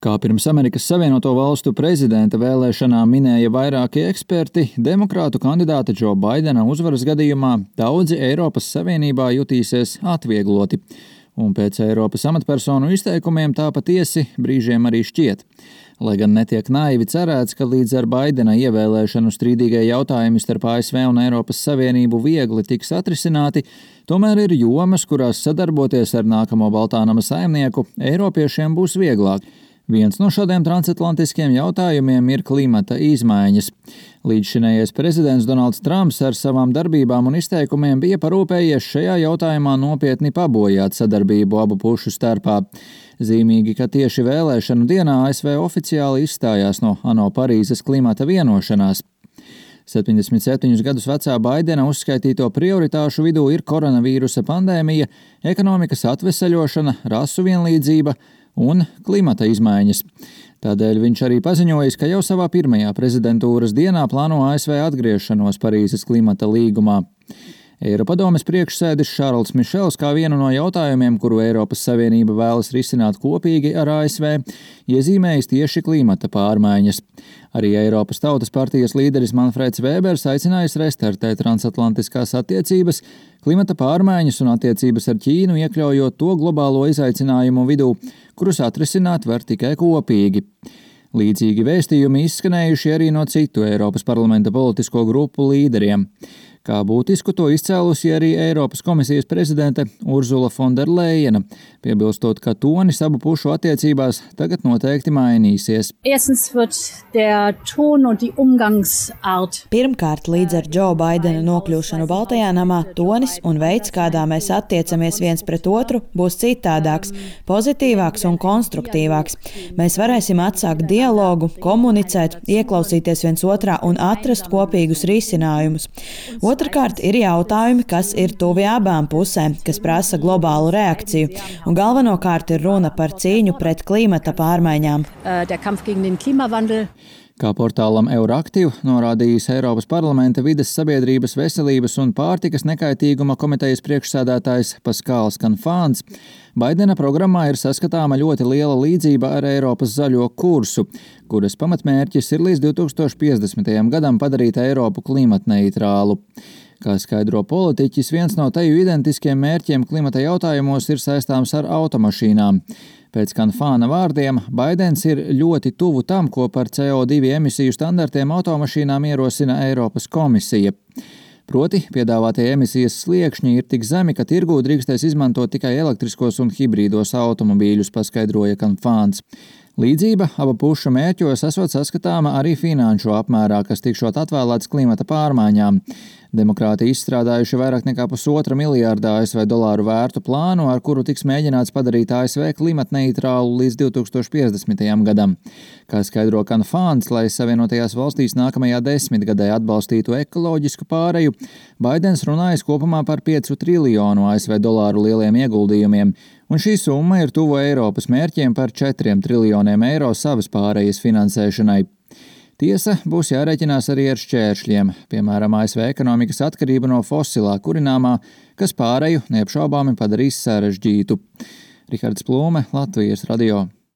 Kā pirms Amerikas Savienoto Valstu prezidenta vēlēšanām minēja vairāki eksperti, demokrātu kandidāta Džo Baidena uzvaras gadījumā daudzi Eiropas Savienībā jutīsies atviegloti. Un pēc Eiropas amatpersonu izteikumiem tā patiesi brīžiem arī šķiet. Lai gan netiek naivi cerēts, ka līdz ar Baidena ievēlēšanu strīdīgie jautājumi starp ASV un Eiropas Savienību viegli tiks atrisināti, tomēr ir jomas, kurās sadarboties ar nākamo Baltā nama saimnieku Eiropiešiem būs vieglāk. Viens no šādiem transatlantiskiem jautājumiem ir klimata izmaiņas. Līdzšinējais prezidents Donalds Trumps ar savām darbībām un izteikumiem bija parūpējies šajā jautājumā nopietni pabojāt sadarbību abu pušu starpā. Zīmīgi, ka tieši vēlēšanu dienā ASV oficiāli izstājās no ANO Parīzes klimata vienošanās. 77 gadus vecā Baidena uzskaitīto prioritāšu vidū ir koronavīrusa pandēmija, ekonomikas atveseļošana, rasu vienlīdzība un klimata izmaiņas. Tādēļ viņš arī paziņojis, ka jau savā pirmajā prezidentūras dienā plāno ASV atgriešanos Parīzes klimata līgumā. Eiropadomes priekšsēdis Šarls Mišels kā vienu no jautājumiem, kuru Eiropas Savienība vēlas risināt kopīgi ar ASV, iezīmējis tieši klimata pārmaiņas. Arī Eiropas Tautas partijas līderis Manfreds Vēbers aicinājis restartēt transatlantiskās attiecības, klimata pārmaiņas un attiecības ar Ķīnu, iekļaujot to globālo izaicinājumu vidū, kurus atrisināt var tikai kopīgi. Līdzīgi vēstījumi izskanējuši arī no citu Eiropas parlamenta politisko grupu līderiem. Kā būtisku to izcēlusi arī Eiropas komisijas prezidente Ursula Fonderlejena, piebilstot, ka tonis abu pušu attiecībās tagad noteikti mainīsies. Pirmkārt, līdz ar Džo Baidena nokļūšanu Baltajā namā, tonis un veids, kādā mēs attiecamies viens pret otru, būs citādāks, pozitīvāks un konstruktīvāks. Mēs varēsim atsākt dialogu, komunicēt, ieklausīties viens otrā un atrast kopīgus risinājumus. Otrkārt, ir jautājumi, kas ir tuvi abām pusēm, kas prasa globālu reakciju, un galvenokārt ir runa par cīņu pret klimata pārmaiņām. Kā portālam Euraktiv norādījis Eiropas parlamenta vides, sabiedrības, veselības un pārtikas nekaitīguma komitejas priekšsēdētājs Paskāls Kanfāns, Baidena programmā ir saskatāma ļoti liela līdzība ar Eiropas zaļo kursu, kuras pamatmērķis ir līdz 2050. Gadam padarīt Eiropu klimatneitrālu. Kā skaidro politiķis, viens no teju identiskiem mērķiem klimata jautājumos ir saistāms ar automašīnām. Pēc Kanfāna vārdiem, Baidens ir ļoti tuvu tam, ko par CO2 emisiju standartiem automašīnām ierosina Eiropas komisija. Proti, piedāvātie emisijas sliekšņi ir tik zemi, ka tirgū drīkstēs izmantot tikai elektriskos un hibrīdos automobīļus, paskaidroja Kanfāns. Līdzība abu pušu mērķos esot saskatāma arī finanšu apmērā, kas tikšot atvēlēts klimata pārmaiņām. Demokrāti izstrādājuši vairāk nekā $1,5 miljārdu ASV dolāru vērtu plānu, ar kuru tiks mēģināts padarīt ASV klimatneitrālu līdz 2050. Gadam. Kā skaidro Kanfāns, lai Savienotajās valstīs nākamajā desmitgadē atbalstītu ekoloģisku pāreju, Baidens runājas kopumā par 5 triljonu ASV dolāru lieliem ieguldījumiem, un šī summa ir tuvu Eiropas mērķiem par 4 triljoniem eiro savas pārejas finansēšanai. Tiesa, būs jārēķinās arī ar šķēršļiem, piemēram, ASV ekonomikas atkarība no fosilā kurināmā, kas pāreju neapšaubāmi padarīs sarežģītu. Rihards Plūme, Latvijas radio.